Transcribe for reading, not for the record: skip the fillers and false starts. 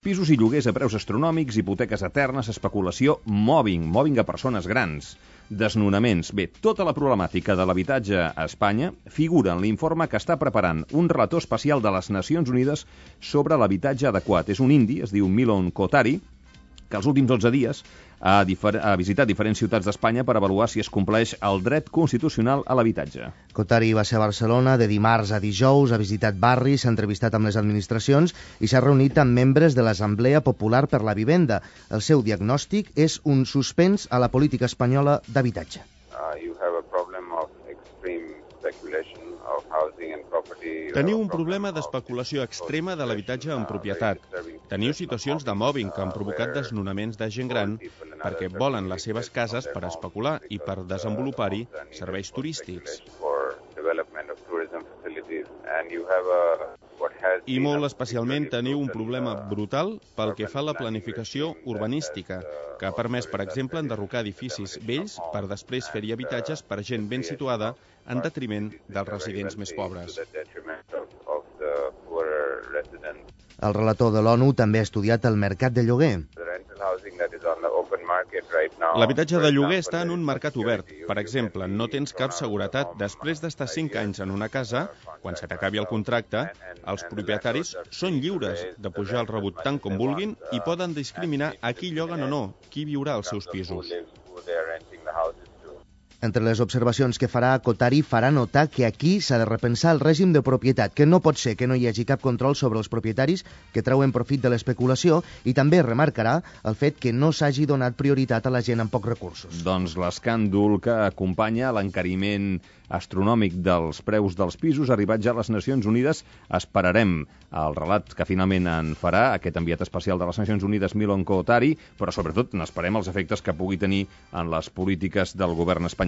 Pisos i lloguers a preus astronòmics, hipoteques eternes, especulació, mobbing a persones grans, desnonaments. Bé, tota la problemàtica de l'habitatge a Espanya figura en l'informe que està preparant un relator especial de les Nacions Unides sobre l'habitatge adequat. És un indi, es diu Milon Kotari, que els últims 12 dies ha visitat diferents ciutats d'Espanya per avaluar si es compleix el dret constitucional a l'habitatge. Kotari va ser a Barcelona de dimarts a dijous, ha visitat barris, s'ha entrevistat amb les administracions i s'ha reunit amb membres de l'Assemblea Popular per la Vivenda. El seu diagnòstic és un suspens a la política espanyola d'habitatge. Teniu un problema d'especulació extrema de l'habitatge en propietat. Teniu situacions de mobbing que han provocat desnonaments de gent gran perquè volen les seves cases per especular i per desenvolupar-hi serveis turístics. I molt especialment teniu un problema brutal pel que fa a la planificació urbanística, que ha permès, per exemple, enderrocar edificis vells per després fer-hi habitatges per gent ben situada en detriment dels residents més pobres. El relator de l'ONU també ha estudiat el mercat de lloguer. L'habitatge de lloguer està en un mercat obert. Per exemple, no tens cap seguretat. Després d'estar 5 anys en una casa, quan se t'acabi el contracte, els propietaris són lliures de pujar el rebut tant com vulguin i poden discriminar a qui lloguen o no, qui viurà als seus pisos. Entre les observacions que farà, Kotari farà notar que aquí s'ha de repensar el règim de propietat, que no pot ser que no hi hagi cap control sobre els propietaris que treuen profit de l'especulació, i també remarcarà el fet que no s'hagi donat prioritat a la gent amb pocs recursos. Doncs l'escàndol que acompanya l'encariment astronòmic dels preus dels pisos ha arribat ja a les Nacions Unides. Esperarem el relat que finalment en farà aquest enviat especial de les Nacions Unides, Milon Kotari, però sobretot n'esperem els efectes que pugui tenir en les polítiques del govern espanyol.